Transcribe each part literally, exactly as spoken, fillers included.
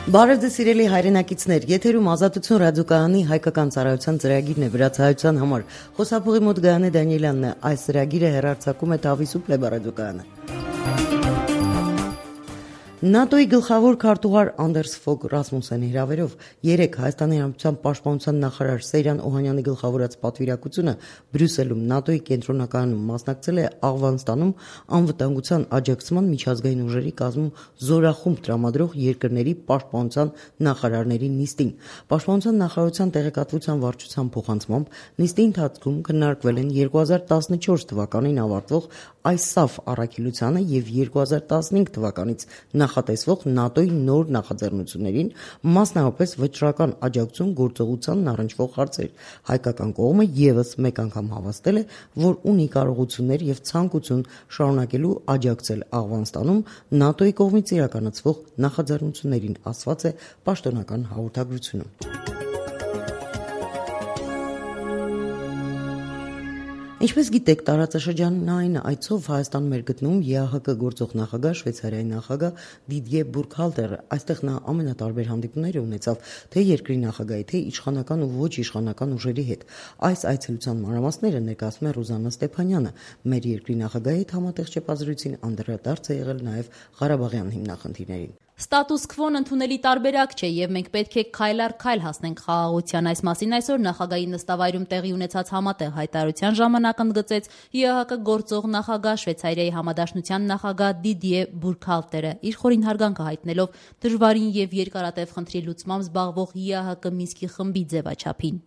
Բարև ձեզ սիրելի հայրենակիցներ, եթերում Ազատություն ռադիոկայանի հայկական ծառայության ծրագիրն է վրացահայության համար։ Խոսափողի մոտ Գայանե Դանիելյանն է, այս ծրագիրը հեռարձակում է Թավիսու Պլեբա ռադիոկայանը։ ՆԱՏՕ-ի գլխավոր քարտուղար Անդերս Ֆոգ Ռասմուսենի հրավերով երեկ Հայաստանի Հանրապետության պաշտպանության նախարար Սեյրան Օհանյանի գլխավորած պատվիրակությունը Բրյուսելում ՆԱՏՕ-ի կենտրոնականում մասնակցել է Աֆղանստանում անվտանգության աջակցման միջազգային ուժերի կազմում զորախումբ տրամադրող երկրների պաշտպանության նախարարների նիստին։ Պաշտպանության նախարարության տեղեկատվության վարչության փոխանցմամբ նիստի ընթացքում քննարկվել են երկու հազար տասնչորս թվականին ավարտվող այսավ առաքելությանը եւ երկու հազար տասնհինգ թվականից նախատեսվող ՆԱՏՕ-ի նոր նախաձեռնություններին, մասնավորապես վճռական աջակցություն գործողությանն առնչվող հարցեր։ Հայկական կողմը եւս մեկ անգամ հավաստել է, որ ունի կարողություններ եւ ցանկություն շարունակելու աջակցել Աֆղանստանում ՆԱՏՕ-ի կողմից իրականացվող նախաձեռնություններին, ասված է պաշտոնական հաղորդագրությունում։ Ինչպես գիտեք, տարածաշրջանային այցով Հայաստանում էր գտնվում ԵԱՀԿ գործող նախագահ Շվեյցարիայի նախագահ Դիդիե Բուրքհալտերը։ Այստեղ նա ամենատարբեր հանդիպումներ ունեցավ թե երկրի նախագահի, թե իշխանական ու ոչ իշխանական ուժերի հետ։ Այս այցելության մանրամասները ներկայացնում է Ռուզաննա Ստեփանյանը։ Մեր երկրի նախագահի հետ համատեղ չեպազրույցին անդրադարձ է եղել նաև Ղարաբաղյան հիմնախնդիրներին։ Ստատուս քվոն ընդունելի տարբերակ չէ եւ մենք պետք է քայլ առ քայլ հասնենք խաղաղության։ Այս մասին այսօր նախագահի նստավայրում տեղի ունեցած համատեղ հայտարարության ժամանակ ընդգծեց ԵԱՀԿ գործող նախագահ Շվեյցարիայի համադաշնության նախագահ Դիդիե Բուրքհալտերը, իր խորին հարգանքը հայտնելով դժվարին եւ երկարատև խնդրի լուծմամբ զբաղվող ԵԱՀԿ Մինսկի խմբի ձևաչափին։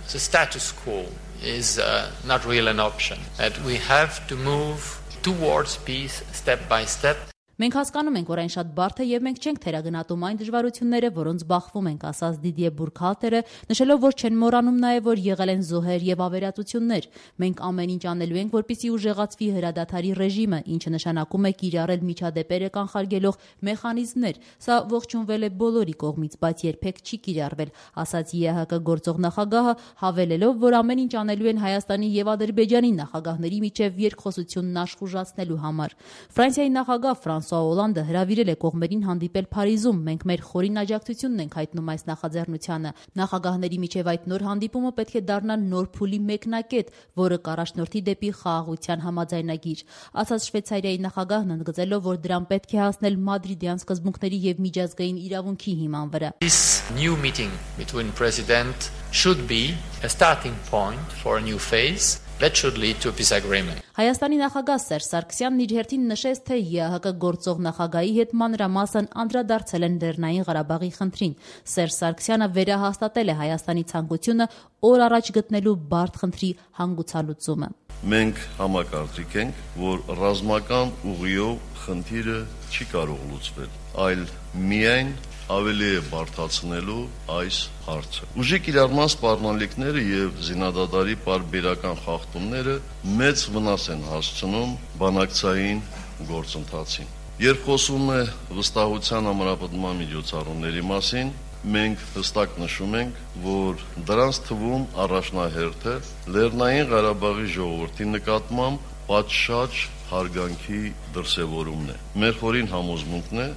The status quo is uh, not really an option. That we have to move towards peace step by step. Մենք հասկանում ենք, որ այն շատ բարդ է եւ մենք չենք թերագնահատում այն դժվարությունները, որոնց բախվում ենք, ասաց Դիդիե Բուրքհալտերը, նշելով, որ չեն մոռանում նաեւ, որ եղել են զոհեր եւ ավերածություններ։ Մենք ամեն ինչ անելու ենք, որպեսզի ուժեղացվի հրադադարի ռեժիմը, ինչը նշանակում է կիրառել միջադեպերը կանխարգելող մեխանիզմներ։ Սա ողջունվել է բոլորի կողմից, բայց երբեք չի կիրառվել, ասաց ԵԱՀԿ գործող նախագահը, հավելելով, որ ամեն ինչ անելու են Հայաստանի եւ Ադրբեջանի նախագահների միջև երկխոսությունն աշխուժացնելու համար։ Ֆրանսիայի նախագահ Ֆրանսուଆ Օլանդը հրավիրել է կողմերին հանդիպել Փարիզում։ Մենք մեր խորին աջակցությունն ենք հայտնում այս նախաձեռնությանը։ Նախագահների միջև այդ նոր հանդիպումը պետք է դառնա նոր փուլի մեկնակետ, որը կառաջնորդի դեպի խաղաղության համաձայնագիր, ասաց Շվեյցարիայի նախագահն, ընդգծելով, որ դրան պետք է հասնել մադրիդյան սկզբունքների եւ միջազգային իրավունքի հիման վրա։ This new meeting between president should be a starting point for a new phase. That should lead to a peace agreement. Հայաստանի նախագահ Սերժ Սարգսյանն իր հերթին նշեց, թե ԵԱՀԿ գործող նախագահի հետ մանրամասն անդրադարձել են Լեռնային Ղարաբաղի խնդրին։ Սերժ Սարգսյանը վերահաստատել է Հայաստանի ցանկությունը օր առաջ գտնելու բարդ խնդրի հանգուցալուծումը։ Մենք համակարծիք ենք, որ ռազմական ուղիով խնդիրը չի կարող լուծվել, այլ միայն ավելի է բարդացնելու այս հարցը։ Ուժի կիրառման սպառնալիքները եւ զինադադարի պարբերական խախտումները մեծ վնաս են հասցնում բանակցային գործընթացին։ Երբ խոսում է վստահության ամրապնդման միջոցառումների մասին, մենք հստակ նշում ենք, որ դրանց թվում առաջնահերթը Լեռնային Ղարաբաղի ժողովրդի նկատմամբ պատշաճ հարգանքի դրսևորումն է։ Մեր խորին համոզմունքն է,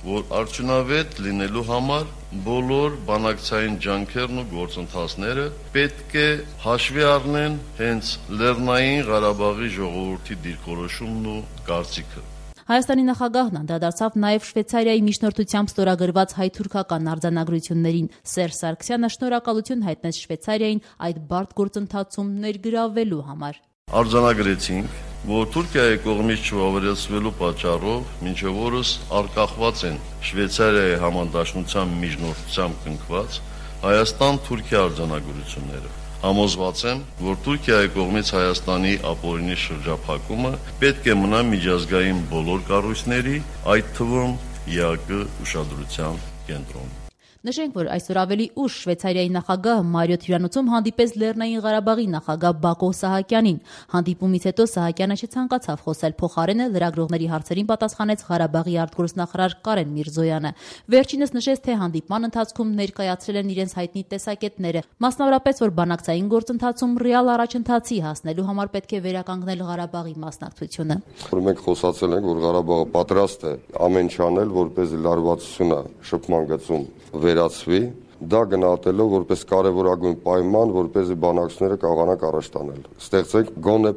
որ արդյունավետ լինելու համար բոլոր բանակցային ջանքերն ու գործընթացները պետք է հաշվի առնեն հենց Լեռնային Ղարաբաղի ժողովրդի դիրքորոշումն ու կարծիքը։ Հայաստանի նախագահն անդրադարձավ նաև Շվեյցարիայի միջնորդությամբ ստորագրված հայ-թուրքական արձանագրություններին։ Սերժ Սարգսյանը շնորհակալություն հայտնեց Շվեյցարիային այդ բարդ գործընթացում ներգրավվելու համար։ Արձանագրեցինք, որ Թուրքիայի կողմից չվավերացվելու պատճառով մինչև օրս արկախված են Շվեյցարիայի համադաշնության միջնորդությամբ կնքված Հայաստան-Թուրքիա արձանագրությունները։ Համոզված եմ, որ Թուրքիայի կողմից Հայաստանի ապօրինի շրջափակումը պետք է մնա միջազգային բոլոր կառույցների, այդ թվում ԵԱՀԿ ուշադրության կենտրոնում։ Նշենք, որ այսօր ավելի ուշ Շվեյցարիայի նախագահը Մարիոթ հյուրանոցում հանդիպեց Լեռնային Ղարաբաղի նախագահ Բակո Սահակյանին։ Հանդիպումից հետո Սահակյանը չցանկացավ խոսել, փոխարենը լրագրողների հարցերին պատասխանեց Ղարաբաղի արտգործնախարար Կարեն Միրզոյանը։ Վերջինս նշեց, թե հանդիպման ընթացքում ներկայացրել են իրենց հայտնի տեսակետները, մասնավորապես, որ բանակցային գործընթացում ռեալ առաջընթացի հասնելու համար պետք է վերականգնել Ղարաբաղի մասնակցությունը։ Մենք խոսացել ենք, որ Ղարաբաղը պատրաստ է ամեն ինչ անել, որպեսզի լարվածությունը շփման գծում վերացվի, դա գնահատելով որպես կարևորագույն պայման, որպեսզի բանակցությունները կարողանան առաջ տանել։ Ստեղծենք գոնե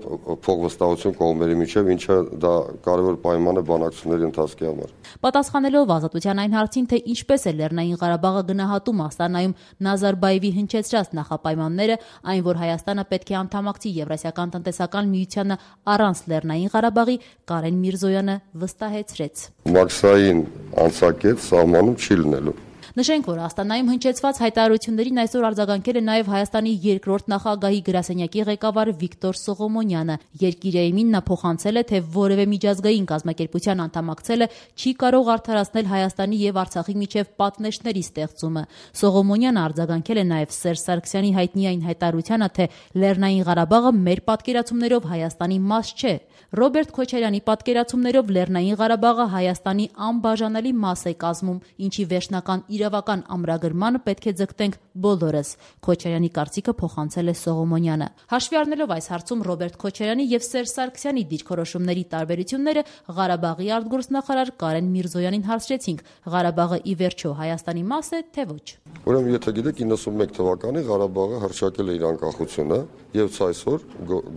փոխվստահություն կողմերի միջև, ինչը դա կարևոր պայման է բանակցությունների ընթացքի համար։ Պատասխանելով Ազատության այն հարցին, թե ինչպես է Լեռնային Ղարաբաղը գնահատում Աստանայում Նազարբաևի հնչեցրած նախապայմանները, այն, որ Հայաստանը պետք է անդամակցի Եվրասիական տնտեսական միությանը առանց Լեռնային Ղարաբաղի, Կարեն Միրզոյանը վստահեցրեց։ Մաքսային անցակետ սահմանում չի լինելու։ Նշենք, որ Աստանայում հնչեցված հայտարարություններին այսօր արձագանքել է նաև Հայաստանի երկրորդ նախագահի գրասենյակի ղեկավար Վիկտոր Սողոմոնյանը։ Երկիրեյմին նա փոխանցել է, թե որևէ միջազգային կազմակերպության անդամակցելը չի կարող արդարացնել Հայաստանի եւ Արցախի միջև պատնեշների ստեղծումը։ Սողոմոնյանը արձագանքել է նաև Սերժ Սարգսյանի հայտնի այն հայտարարությանը, թե Լեռնային Ղարաբաղը մեր պատկերացումներով Հայաստանի մաս չէ։ Ռոբերտ Քոչարյանի պատկերացումներով Լեռնային Ղարաբաղը Հայաստանի անբաժանելի մաս է կազմում, ինչի վերջնական իրավական ամրագրմանը պետք է ձգտենք բոլորս։ Քոչարյանի կարծիքը փոխանցել է Սողոմոնյանը։ Հաշվի առնելով այս հարցում Ռոբերտ Քոչարյանի եւ Սերժ Սարգսյանի դիրքորոշումների տարբերությունները, Ղարաբաղի արտգործնախարար Կարեն Միրզոյանին հարցրեցինք. Ղարաբաղը ի վերջո Հայաստանի մաս է, թե ոչ։ Ուրեմն, եթե գիտեք, իննսունմեկ թվականին Ղարաբաղը հռչակել է իր անկախությունը եւ այսօր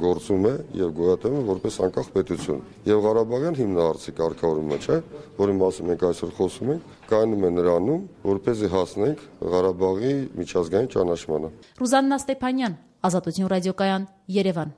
գործում է եւ գոյատևում է որպես անկախ պետություն։ Եվ Ղարաբաղյան հիմնահարցի կարգավորումը, չէ, որի մասին մենք այսօր խոսում ենք, կայանում է նրանում, որպեսզի հասնենք Ղարաբաղի միջազգային ճանաչմանը։ Ռուզաննա Ստեփանյան, Ազատություն ռադիոկայան, Երևան։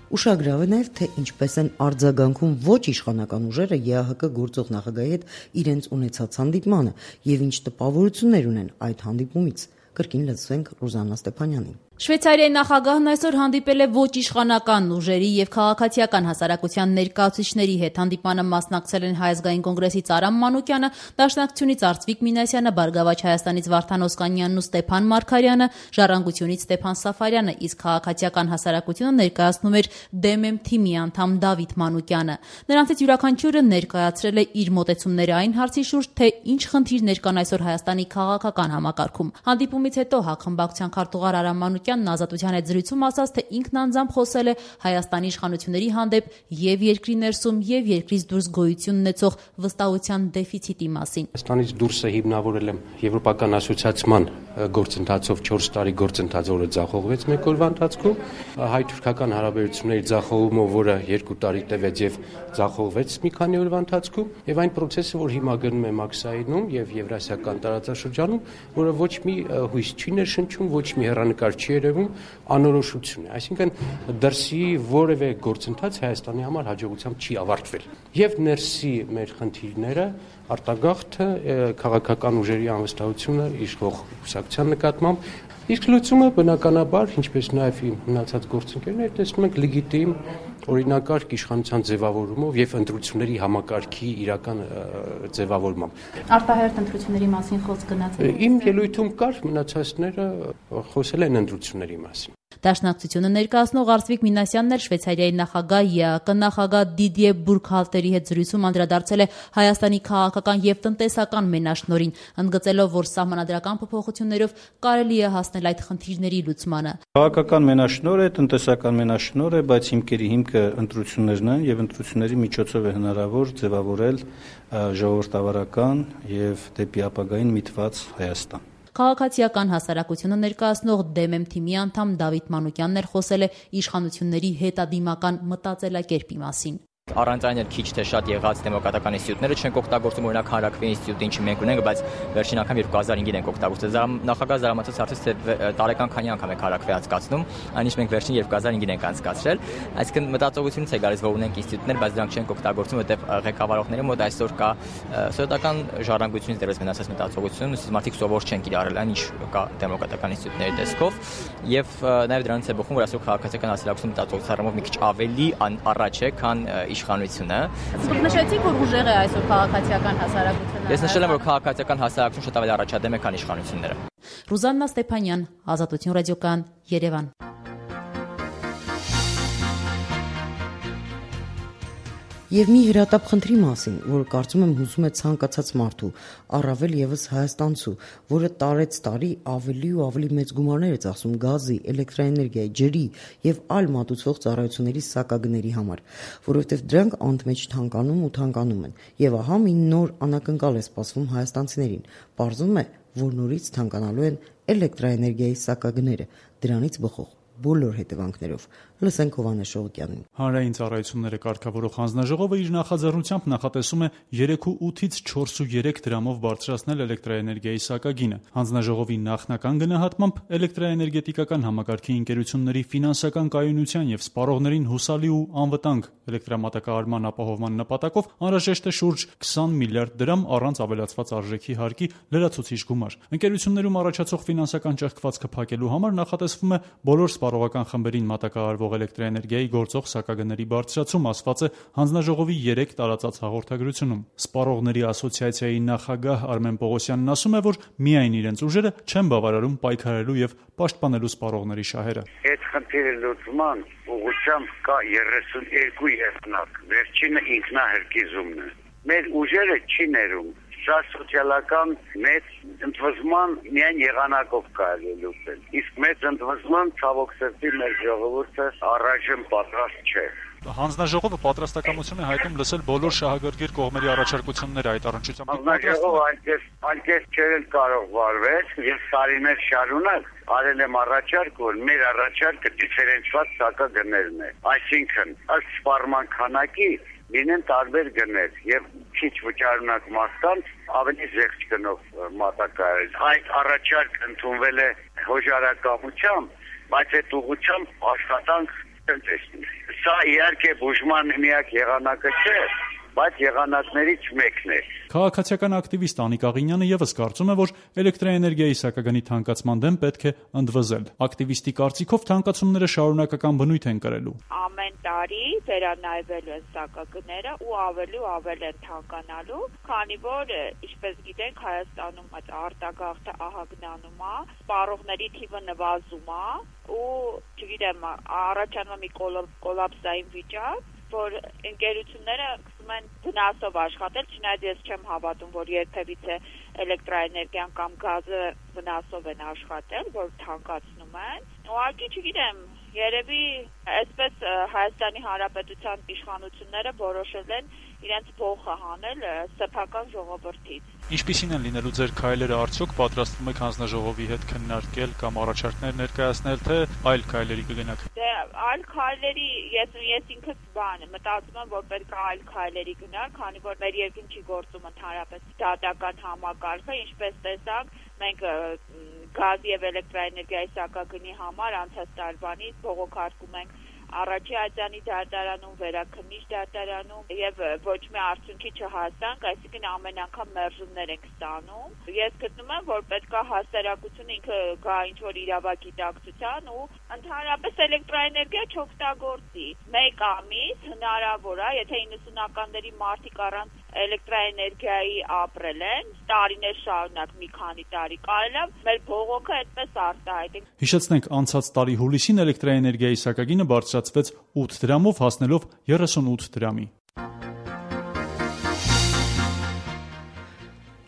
Ուշագրավ է նաև, թե ինչպես են արձագանքում ոչ իշխանական ուժերը ԵԱՀԿ գործող նախագահի հետ իրենց ունեցած հանդիպմանը եւ ինչ տպավորություններ ունեն այդ հանդիպումից։ Կրկին լսենք Ռուզաննա Ստեփանյանին։ Շվեյցարիայի նախագահն այսօր հանդիպել է ոչ իշխանական ուժերի եւ քաղաքացիական հասարակության ներկայացուցիչների հետ։ Հանդիպանը մասնակցել են Հայ ազգային կոնգրեսից Արամ Մանուկյանը, Դաշնակցությունից Արծվիկ Մինասյանը, Բարգավաճ Հայաստանից Վարդան Օսկանյանն ու Ստեփան Մարգարյանը, Ժառանգությունից Ստեփան Սաֆարյանը, իսկ քաղաքացիական հասարակությունը ներկայացնում էր ԴՄ թիմի անդամ Դավիթ Մանուկյանը։ Նրանցից յուրաքանչյուրը ներկայացրել է իր մոտեցումները այն հարցի շուրջ, թե ինչ խնդիրներ կան այսօր Հայաստանի քաղաքական համակարգում։ Հանդիպումից հետո հակխմբակցության քարտուղար Արամ Մանուկյանն Ազատության հետ զրույցում ասաց, թե ինքն անձամբ խոսել է Հայաստանի իշխանությունների հանդեպ եւ երկրի ներսում եւ երկրից դուրս գոյություն ունեցող վստահության դեֆիցիտի մասին։ Հայաստանից դուրսը հիմնավորել եմ եվրոպական ասոցիացիան գործընթացով չորս տարի գործընթաց, որը ձախողվեց մեկ օրվա ընթացքում, հայ-թուրքական հարաբերությունների ձախողումով, որը երկու տարի տևեց եւ ձախողվեց մի քանի օրվա ընթացքում, եւ այն process-ը, որ հիմա գնում է Մաքսայինում եւ Եվրասիական տարածաշրջանում, որը ոչ մի հույս չի ներշնչում, ոչ մի հեռանկար չի երևում, անորոշություն է։ Այսինքն դրսի որևէ գործընթաց Հայաստանի համար հաջողությամբ չի ավարտվել։ Եվ ներսի մեր խնդիրները արտագաղթը, քաղաքական ուժերի անվստահությունը իշխող կուսակցության նկատմամբ, իսկ լուծումը բնականաբար, ինչպես նաև մնացած գործընկերներ, տեսնում ենք լեգիտիմ օրինակարգ իշխանության ձևավորումով եւ ընտրությունների համակարգի իրական ձևավորմամբ։ Արտահերթ ընտրությունների մասին խոսք գնաց։ Իմ ելույթում կար, մնացածները խոսել են ընտրությունների մասին։ Դաշնակցությունը ներկայացնող Արծվիկ Մինասյանն էլ Շվեյցարիայի նախագահ ԵԱՀԿ նախագահ Դիդիե Բուրքհալտերի հետ զրույցում անդրադարձել է Հայաստանի քաղաքական եւ տնտեսական մենաշնորհին, ընդգծելով, որ սահմանադրական փոփոխություններով կարելի է հասնել այդ խնդիրների լուծմանը։ Քաղաքական մենաշնորհ է, տնտեսական մենաշնորհ է, բայց հիմքերի հիմքը ընտրություններն են եւ ընտրությունների միջոցով է հնարավոր ձևավորել ժողովրդավարական եւ դեպի ապագային միտված Հայաստան։ Քաղաքացիական հասարակությունը ներկայացնող ԴՄ թիմի անդամ Դավիթ Մանուկյանն էլ խոսել է իշխանությունների հետադիմական մտածելակերպի մասին։ Առանց այն էլ քիչ թե շատ եղած դեմոկրատական ինստիտուտները չեն օգտագործում, օրինակ Հանրաքվե ինստիտուտը, ինչը մենք ունենք, բայց վերջին անգամ երկու հազար հինգին ենք օգտագործել։ Նախագահ զարմացած հարցից, թե տարեկան քանի անգամ եք Հանրաքվե անցկացնում, այնինչ մենք վերջին երկու հազար հինգին ենք անցկացրել։ Այսինքն մտածողությունից է գալիս, որ ունենք ինստիտուտներ, բայց դրանք չենք օգտագործում, որտեղ ղեկավարողների մոտ այսօր կա սոցիալական ժառանգությունից դեռևս մնացած մտածողություն, ուսուցիչ մարդիկ սովոր չեն կիրառել այն, ինչ կա դեմոկրատական ինստիտուտների տեսքով, եւ նաեւ դրանից է բխում, որ այսօր քաղաքացիական հասարակություն մտածողության առումով մի քիչ ավելի առաջ է, քան իշխանությունը։ Դուք նշեցիք, որ ուժեղ է այսօր քաղաքացիական հասարակությունը։ Ես նշել եմ, որ քաղաքացիական հասարակությունը շատ ավելի առաջադեմ է, քան իշխանությունները։ Ռուզաննա Ստեփանյան, Ազատություն ռադիոկան, Երևան։ Եվ մի հրատապ խնդրի մասին, որ կարծում եմ հուզում է ցանկացած մարդու, առավել եւս հայաստանցու, որը տարեց տարի ավելի ու ավելի մեծ գումարներ է ծախսում գազի, էլեկտրաէներգիայի, ջրի եւ այլ մատուցվող ծառայությունների սակագների համար, որովհետեւ դրանք անընդմեջ թանկանում ու թանկանում են։ Եվ ահա մի նոր անակնկալ է սպասվում հայաստանցիներին։ Պարզվում է, որ նորից թանկանալու են էլեկտրաէներգիայի սակագները, դրանից բխող բոլոր հետևանքներով։ Լսենք Հովհաննես Շողոկյանին։ Հանրային ծառայությունները կարգավորող հանձնաժողովը իր նախաձեռնությամբ նախատեսում է երեք ու ութից չորս ու երեք դրամով բարձրացնել էլեկտրաէներգիայի սակագինը։ Հանձնաժողովի նախնական գնահատմամբ էլեկտրաէներգետիկական համակարգի ընկերությունների ֆինանսական կայունության եւ սպառողներին հուսալի ու անվտանգ էլեկտրամատակարարման ապահովման նպատակով անհրաժեշտ է շուրջ քսան միլիարդ դրամ առանց ավելացված արժեքի հարկի լրացուցիչ գումար։ Ընկերություններում առաջացող ֆինանսական ճեղքվածքը փակելու համար նախատեսվում է բոլոր սպառողական խմբերին մատակարարվող էլեկտրաէներգիայի գործող սակագների բարձրացում, ասված է հանձնաժողովի երեք տարածած հաղորդագրությունում։ Սպառողների ասոցիացիայի նախագահ Արմեն Պողոսյանն ասում է, որ միայն իրենց ուժերը չեն բավարարում պայքարելու եւ պաշտպանելու սպառողների շահերը։ Այդ խնդիրը լուծման ուղղությամբ կա երեսունյոթ եղանակ։ Վերջինը ինքնահարկիզումն է։ Մեր ուժերը չի ներում։ Սա սոցիալական մեծ ընդվզման միայն եղանակով կարելի լուծել։ Իսկ մեծ ընդվզման ցավոք սրտի մեր ժողովուրդը առայժմ պատրաստ չէ։ Հանձնաժողովը պատրաստակամություն է հայտնում լսել բոլոր շահագրգիռ կողմերի առաջարկությունները այդ առնչությամբ։ Հանձնաժողովը այնպես այնպես չէր կարող վարվել, եւ տարիներ շարունակ արել եմ առաջարկ, որ մեր առաջարկը դիֆերենցված սակագներն է։ Այսինքն, ըստ սպառման քանակի լինեն տարբեր գներ եւ քիչ վճարունակ մարդկանց ավելի զեղչ գնով մատակարարել։ Այդ առաջարկ ընդունվել է հոժարակամությամբ, բայց այդ ուղղությամբ աշխատանք տնտեսի։ Սա իհարկե բուժման միակ եղանակը չէ, բայց եղանակներից մեկն է։ Քաղաքացիական ակտիվիստ Անիկ Աղինյանը եւս կարծում է, որ էլեկտրաէներգիայի սակագնի թանկացման դեմ պետք է ընդվզել։ Ակտիվիստի կարծիքով թանկացումները շարունակական բնույթ են կրելու։ Ամեն տարի վերանայվելու են սակագները ու ավելի ու ավելի են թանկանալու, քանի որ ինչպես գիտենք Հայաստանում այդ արտագաղթը ահագնանում է, սպառողների թիվը նվազում է ու չգիտեմ առաջանում է մի կոլապսային վիճակ, որ ընկերությունները սկսում են վնասով աշխատել, չնայած ես չեմ հավատում, որ երբևիցե էլեկտրաէներգիան կամ գազը վնասով են աշխատել, որ թանկացնում են։ Ուղղակի չգիտեմ, երևի այսպես Հայաստանի Հանրապետության իշխանությունները որոշել են իրենց փոխը հանել սեփական ժողովրդից։ Ինչպիսին են լինելու ձեր քայլերը, արդյոք պատրաստվում եք հանձնաժողովի հետ քննարկել կամ առաջարկներ ներկայացնել, թե այլ քայլերի կգնաք։ Դե այլ քայլերի ես ես ինքս բան մտածում եմ, որ պետք է այլ քայլերի գնալ, քանի որ մեր երկրում չի գործում ընդհանրապես դատական համակարգը, ինչպես տեսանք, մենք գազի եւ էլեկտրաէներգիայի սակագնի համար անցած տարվանից բողոքարկում ենք առաջի ատյանի դատարանում, վերաքննիչ դատարանում եւ ոչ մի արդյունքի չհասանք, այսինքն ամեն անգամ մերժումներ ենք ստանում։ Ես գտնում եմ, որ պետքա հասարակությունը ինքը գա ինչ-որ իրավագիտակցության ու ընդհանրապես էլեկտրաէներգիա չօգտագործի։ Մեկ ամիս հնարավոր է, եթե իննսունականների մարդիկ առանց էլեկտրաէներգիայի ապրել են, տարիներ շարունակ մի քանի տարի կարելի է մեր բողոքը այդպես արտահայտենք։ Հիշեցնենք, անցած տարի հուլիսին էլեկտրաէներգիայի սակագինը բարձրացվեց ութ դրամով, հասնելով երեսունութ դրամի։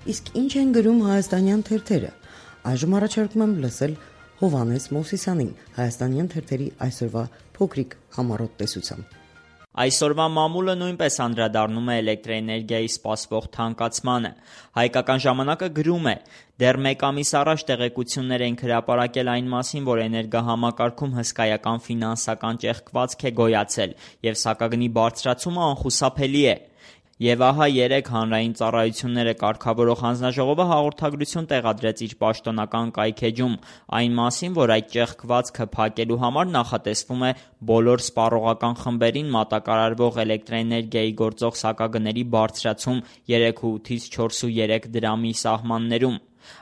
Իսկ ինչ են գրում հայաստանյան թերթերը։ Այժմ առաջարկում եմ լսել Հովհաննես Մովսիսյանին, հայաստանյան թերթերի այսօրվա փոքրիկ համառոտ տեսությամբ։ Այսօրվա մամուլը նույնպես անդրադառնում է էլեկտրաէներգիայի սպասվող թանկացմանը։ Հայկական ժամանակը գրում է. դեռ մեկ ամիս առաջ տեղեկություններ ենք հրապարակել այն մասին, որ էներգահամակարգում հսկայական ֆինանսական ճեղքվածք է գոյացել եւ սակագնի բարձրացումը անխուսափելի է։ Եվ ահա երեք հանրային ծառայությունները կարգավորող հանձնաժողովը հաղորդագրություն տեղադրեց իր պաշտոնական կայքեջում այն մասին, որ այդ ճեղքվածքը փակելու համար նախատեսվում է բոլոր սպառողական խմբերին մատակարարվող էլեկտրաէներգիայի գործող սակագների բարձրացում երեք ու ութից չորս ու երեք դրամի սահմաններում։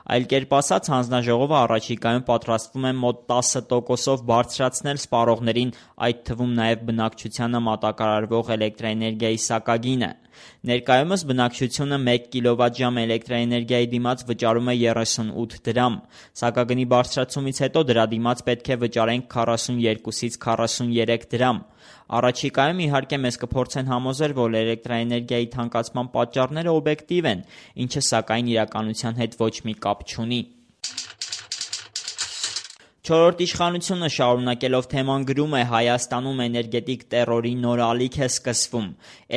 Այլ կերպ ասած, հանձնաժողովը առաջիկայում պատրաստվում է մոտ տասը տոկոսով բարձրացնել սպառողներին, այդ թվում նաև բնակչությանը մատակարարվող էլեկտրաէներգիայի սակագինը։ Ներկայումս բնակչությունը մեկ կիլովատժամ էլեկտրաէներգիայի դիմաց վճարում է երեսունութ դրամ։ Սակագնի բարձրացումից հետո դրա դիմաց պետք է վճարենք քառասունյոթից քառասուներեք դրամ։ Առաջիկայում իհարկե մեզ կփորձեն համոզել, որ էլեկտրաէներգիայի թանկացման պատճառները օբյեկտիվ են, ինչը սակայն իրականության հետ ոչ մի կապ չունի։ Չորրորդ իշխանությունը շարունակելով թեման գրում է Հայաստանում էներգետիկ տերորի նոր ալիք է սկսվում։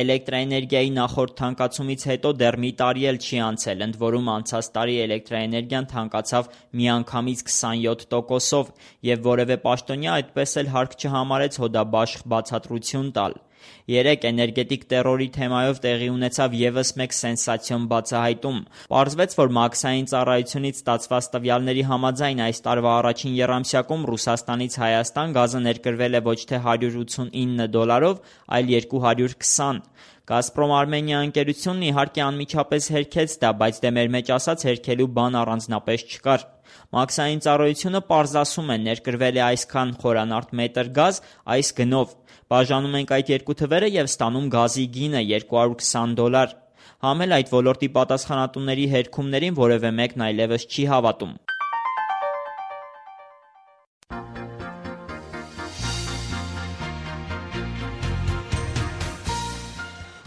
Էլեկտրաէներգիայի նախորդ թանկացումից հետո դեռ մի տարի էլ չի անցել, ընդ որում անցած տարի էլեկտրաէներգիան թանկացավ միանգամից քսանյոթ տոկոսով, եւ որևէ պաշտոնյա այդպես էլ հարկ չհամարեց հոդաբաշխ բացատրություն տալ։ Երեկ էներգետիկ տերորի թեմայով տեղի ունեցավ ևս մեկ սենսացիոն բացահայտում։ Պարզվեց, որ մաքսային ծառայությունից ստացված տվյալների համաձայն այս տարվա առաջին եռամսյակում Ռուսաստանից Հայաստան գազը ներկրվել է ոչ թե հարյուր ութսունինը դոլարով, այլ երկու հարյուր քսան։ Գազպրոմ Արմենիա ընկերությունն իհարկե անմիջապես հերքեց դա, բայց դե մեր մեջ ասած հերքելու բան առանձնապես չկար։ Մաքսային ծառայությունը պարզասում է, ներկրվել է այսքան խորանարդ մետր գազ այս գնով։ Բաժանում ենք այդ երկու թվերը եւ ստանում գազի գինը երկու հարյուր քսան դոլար։ Համ էլ այդ ոլորտի պատասխանատուների հերքումներին որևէ մեկն այլևս չի հավատում։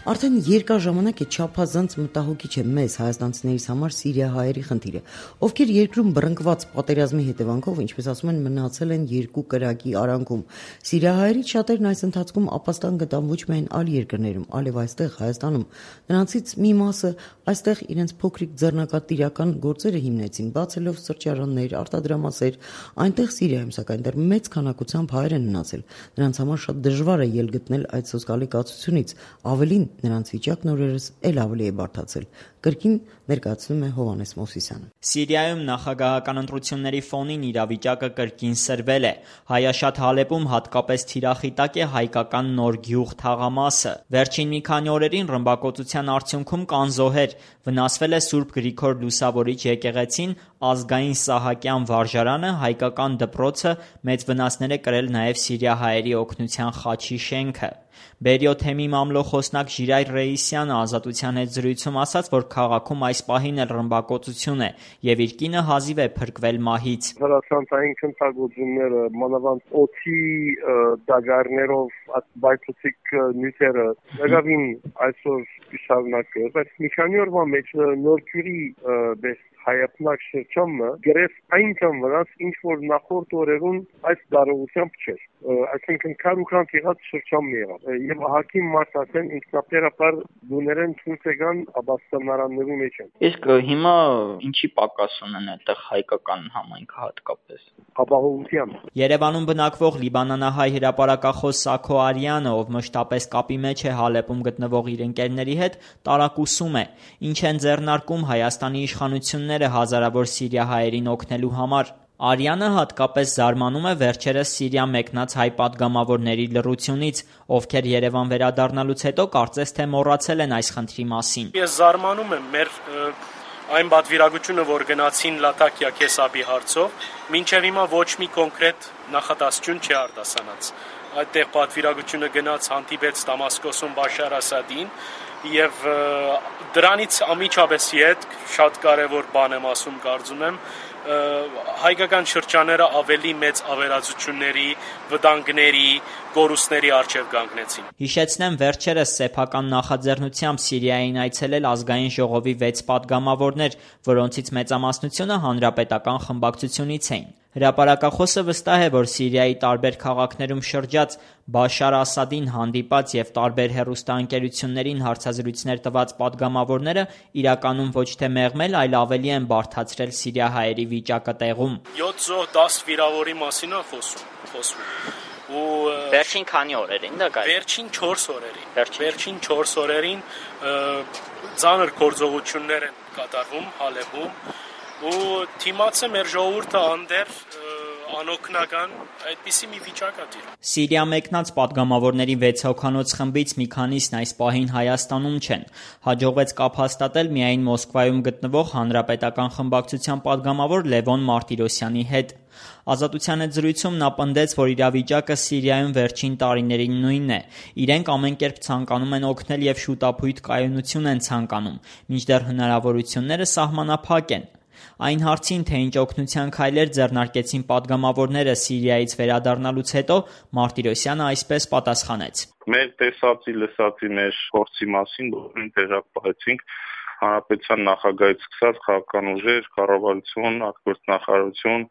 Արդեն երկար ժամանակ է չափազանց մտահոգիչ է մեզ հայաստանցիներից համար սիրիահայերի խնդիրը, ովքեր երկրում բռնկված պատերազմի հետևանքով, ինչպես ասում են, մնացել են երկու կրակի արանքում։ Սիրիահայերից շատերն այս ընթացքում ապաստան գտան ոչ միայն այլ երկրներում, այլև այստեղ Հայաստանում։ Նրանցից մի մասը այստեղ իրենց փոքրիկ ձեռնարկատիրական գործերը հիմնեցին, բացելով սրճարաններ, արտադրամասեր։ Այնտեղ Սիրիայում սակայն դեռ մեծ քանակությամբ հայեր են մնացել։ Նրանց համար շատ դժվար է ելք գտնել այդ սոսկալի կացությունից։ Ավելին նրանց վիճակն օրերս էլ ավելի է բարդացել։ Կրկին ներկայացնում է Հովհաննես Մովսիսյանը։ Սիրիայում նախագահական ընտրությունների ֆոնին իրավիճակը կրկին սրվել է։ Հայաշատ Հալեպում հատկապես թիրախիտակ է հայկական Նոր Գյուղ թաղամասը։ Վերջին մի քանի օրերին ռմբակոծության արդյունքում կան զոհեր։ Վնասվել է Սուրբ Գրիգոր Լուսավորիչ եկեղեցին, ազգային Սահակյան վարժարանը, հայկական դպրոցը, մեծ վնասներ է կրել նաև սիրիահայերի օգնության խաչի շենքը։ Բերիո թեմի մամլոխոսնակ Ժիրայր Ռեյիսյանը Ազատության հետ զրույցում ասաց, որ քաղաքում այս պահին էլ ռմբակոծություն է եւ իր կինը հազիվ է փրկվել մահից։ Հրացանցային քննարկությունները, մանավանդ օդի դագարներով բայթուցիկ նյութերը դրավին այսօր շարունակել, բայց մի քանի օրվա մեջ Նոր Գյուղի հայապնակ շրջանը գրեթե այնքան վրաց, ինչ որ նախորդ օրերուն այս դարողությամբ չէր։ Այսինքն քարուքան եղած շրջանն եղավ։ Եվ ահագի մարդասեն ինքնապերապար դուներեն ցույցեգան աբաստանարաններու մեջ են։ Իսկ հիմա ինչի պակաս ունեն այդտեղ հայկական համայնքը հատկապես։ Ապահովության։ Երևանում բնակվող լիբանանահայ հրապարակախոս Սաքո Արյանը, ով մշտապես կապի մեջ է Հալեպում գտնվող իր ընկերների հետ, տարակուսում է, ինչ են ձեռնարկում Հայաստանի իշխանությունները հազարավոր սիրիահայերին օգնելու համար։ Արյանը հատկապես զարմանում է վերջերս Սիրիա մեկնած հայ պատգամավորների լռությունից, ովքեր Երևան վերադառնալուց հետո կարծես թե մոռացել են այս խնդրի մասին։ Ես զարմանում եմ մեր այն պատվիրակությունը, որ գնացին Լատակիա Քեսաբի հարցով, մինչև հիմա ոչ մի կոնկրետ նախադասություն չի արտասանած։ Այդտեղ պատվիրակությունը գնաց հանդիպեց Դամասկոսում Բաշար Ասադին եւ դրանից ամիջապես հետ շատ կարեւոր բան եմ ասում, կարծում եմ, հայկական շրջանները ավելի մեծ ավերածությունների, վտանգների, կորուստների առջև կանգնեցին։ Հիշեցնեմ, վերջերս սեփական նախաձեռնությամբ Սիրիային այցելել ազգային ժողովի վեց պատգամավորներ, որոնցից մեծամասնությունը հանրապետական խմբակցությունից էին։ Հրապարակախոսը վստահ է, որ Սիրիայի տարբեր քաղաքներում շրջած Բաշար Ասադին հանդիպած եւ տարբեր հեռուստաընկերություններին հարցազրույցներ տված պատգամավորները իրականում ոչ թե մեղմել, այլ ավելի են բարդացրել սիրիահայերի վիճակը տեղում։ յոթ զոհ դաս վիրավորի մասին է խոսում, խոսվում։ Ու վերջին քանի օրերին դա գայ։ Վերջին չորս օրերին։ Վերջին չորս օրերին ծանր գործողություններ են կատարվում Հալեպում։ Ու թիմացը մեր ժողովուրդը անդեր անօգնական, այդպիսի մի վիճակ է տիրում։ Սիրիա մեկնած պատգամավորների վեց հոգանոց խմբից մի քանիսն այս պահին Հայաստանում չեն։ Հաջողվեց կապ հաստատել միայն Մոսկվայում գտնվող հանրապետական խմբակցության պատգամավոր Լևոն Մարտիրոսյանի հետ։ Ազատության հետ զրույցում նա պնդեց, որ իրավիճակը Սիրիայում վերջին տարիներին նույնն է։ Իրենք ամեն կերպ ցանկանում են օգնել եւ շուտափույթ կայունություն են ցանկանում, մինչդեռ հնարավորությունները սահմանափակ են։ Այն հարցին, թե ինչ օգնության քայլեր ձեռնարկեցին պատգամավորները Սիրիայից վերադառնալուց հետո, Մարտիրոսյանը այսպես պատասխանեց. Մեր տեսածի լսածի մեր փորձի մասին բոլորին տեղակ պահեցինք հանրապետության նախագահից սկսած քաղաքական ուժեր, կառավարություն, արտգործնախարարություն,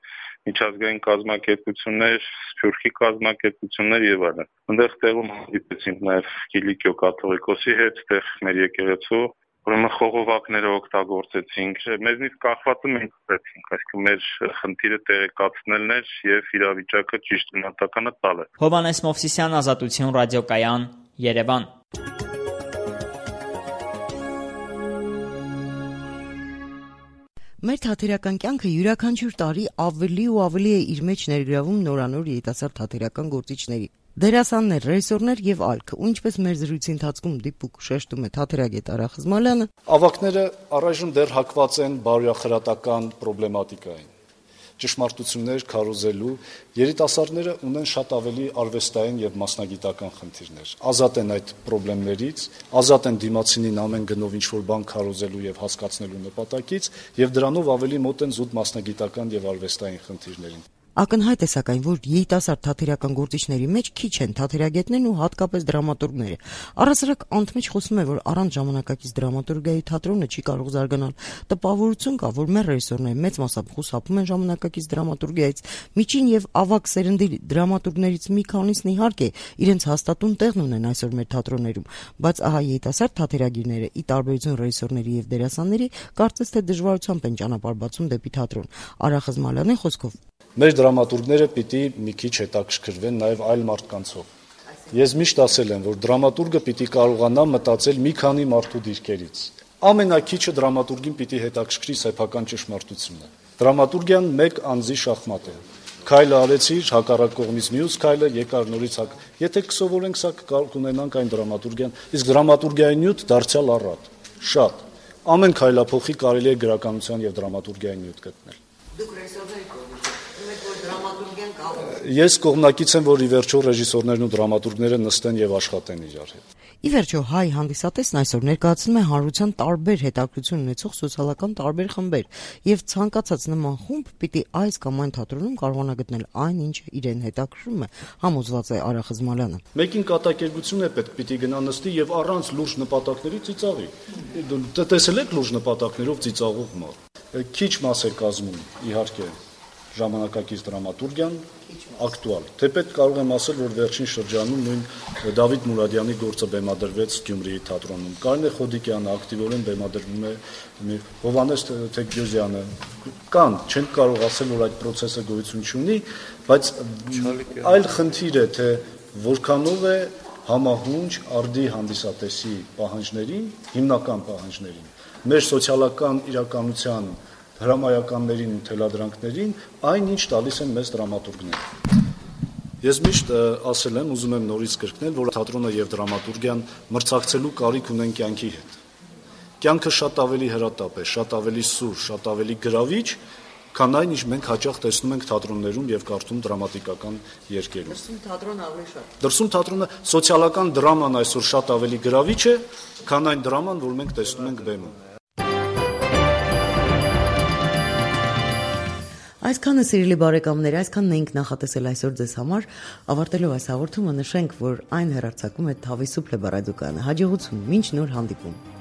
միջազգային կազմակերպություններ, Սփյուռքի կազմակերպություններ եւ այլն։ Այնտեղ տեղում հանդիպեցինք նաեւ Կիլիկիո կաթողիկոսի հետ, այդտեղ մեր եկեղեցու ուրեմն խողովակները օգտագործեցինք, մեզնից կախվածը մենք ստեցինք, այսինքն մեր խնդիրը տեղեկացնելն էր եւ իրավիճակը ճիշտ գնահատականը տալը։ Հովհաննես Մովսիսյան, Ազատություն ռադիոկայան, Երևան։ Մեր թատերական կյանքը յուրաքանչյուր տարի ավելի ու ավելի է իր մեջ ներգրավում նորանոր երիտասարդ թատերական գործիչների։ Դերասաններ, ռեժիսորներ եւ այլք, ու ինչպես մեր զրույցի ընթացքում դիպուկ շեշտում է թատերագետ Արա Խզմալյանը, ավակները առայժմ դեռ հակված են բարոյախրատական պրոբլեմատիկային։ Ճշմարտություններ քարոզելու երիտասարդները ունեն շատ ավելի արվեստային եւ մասնագիտական խնդիրներ։ Ազատ են այդ պրոբլեմներից, ազատ են դիմացինին ամեն գնով ինչ-որ բան քարոզելու եւ հասկացնելու նպատակից եւ դրանով ավելի մոտ են զուտ մասնագիտական եւ արվեստային խնդիրներին։ Ակնհայտ է սակայն, որ երիտասարդ թատերական գործիչների մեջ քիչ են թատերագետներն ու հատկապես դրամատուրգները։ Առասարակ անընդմեջ խոսում է, որ առանց ժամանակակից դրամատուրգիայի թատրոնը չի կարող զարգանալ։ Տպավորություն կա, որ մեր ռեժիսորները մեծ մասամբ խուսափում են ժամանակակից դրամատուրգիայից։ Միջին եւ ավագ սերնդի դրամատուրգներից մի քանիսն իհարկե իրենց հաստատուն տեղն ունեն այսօր մեր թատրոններում, բայց ահա երիտասարդ թատերագիրները՝ ի տարբերություն ռեժիսորների եւ դերասանների, կարծես թե դժվարությամբ են ճանապարհ բացում դեպի թատրոն։ Արա Խզմալյանի խոսքով Մեր դրամատուրգները պիտի մի քիչ հետաքրքրվեն նաև այլ մարդկանցով։ Ես միշտ ասել եմ, որ դրամատուրգը պիտի կարողանա մտածել մի քանի մարդու դիրքերից։ Ամենակիչը դրամատուրգին պիտի հետաքրքրի սեփական ճշմարտությունը։ Դրամատուրգիան մեկ անձի շախմատ է։ Քայլը արեցիր, հակառակ կողմից մյուս քայլը, եկար նորից հակ։ Եթե կսովորենք սա, կարող ունենանք այն դրամատուրգիան, իսկ դրամատուրգիայի նյութ դարձյալ առատ։ Շատ։ Ամեն քայլափոխի կարելի է գրականության եւ դրամատուրգիայի նյութ գտնել։ Դուք ռեժիսորներ եք, որ դրամատուրգիան կա։ Ես կողմնակից եմ, որ ի վերջո ռեժիսորներն ու դրամատուրգները նստեն եւ աշխատեն իրար հետ։ Ի վերջո հայ հանդիսատեսն այսօր ներկայացնում է հանրության տարբեր հետաքրքրություն ունեցող սոցիալական տարբեր խմբեր եւ ցանկացած նման խումբ պիտի այս կամ այն թատրոնում կարողանա գտնել այն, ինչը իրեն հետաքրքրում է, համոզված է Արա Խզմալյանը։ Մեկին կատակերգություն է պետք, պիտի գնա նստի եւ առանց լուրջ նպատակների ծիծաղի։ Դու տեսել եք լուրջ նպատակներով ծիծաղող մարդ։ Քիչ մաս է կազմում, իհարկե, ժամանակակից դրամատուրգիան ակտուալ։ Թեպետ կարող եմ ասել, որ վերջին շրջանում նույն Դավիթ Մուրադյանի գործը բեմադրվեց Գյումրիի թատրոնում։ Կարինե Խոդիկյանը ակտիվորեն բեմադրվում է, Հովհաննես Թեքգյոզյանը կան, չեն կարող ասել, որ այդ process-ը գոյություն չունի, բայց այլ խնդիր է, թե որքանով է համահունչ արդի հանդիսատեսի պահանջներին, հիմնական պահանջներին, մեր սոցիալական իրականության հրամայականներին ու թելադրանքներին այն ինչ տալիս են մեզ դրամատուրգները։ Ես միշտ ասել եմ, ուզում եմ նորից կրկնել, որ թատրոնը եւ դրամատուրգիան մրցակցելու կարիք ունեն կյանքի հետ։ Կյանքը շատ ավելի հրատապ է, շատ ավելի սուր, շատ ավելի գրավիչ, քան այն, ինչ մենք հաճախ տեսնում ենք թատրոններում եւ կարդում դրամատիկական երկերում։ Դրսում թատրոնը ավելի շատ։ Դրսում թատրոնը սոցիալական դրաման այսօր շատ ավելի գրավիչ է, քան այն դրաման, որ մենք տեսնում ենք բեմում։ Այսքանը սիրելի բարեկամներ, այսքանն էինք նախատեսել այսօր ձեզ համար, ավարտելով այս հաղորդումը նշենք, որ այն հեռարձակում է Թավի Սուփլե ռադիոկայանը։ Հաջողություն, մինչ նոր հանդիպում։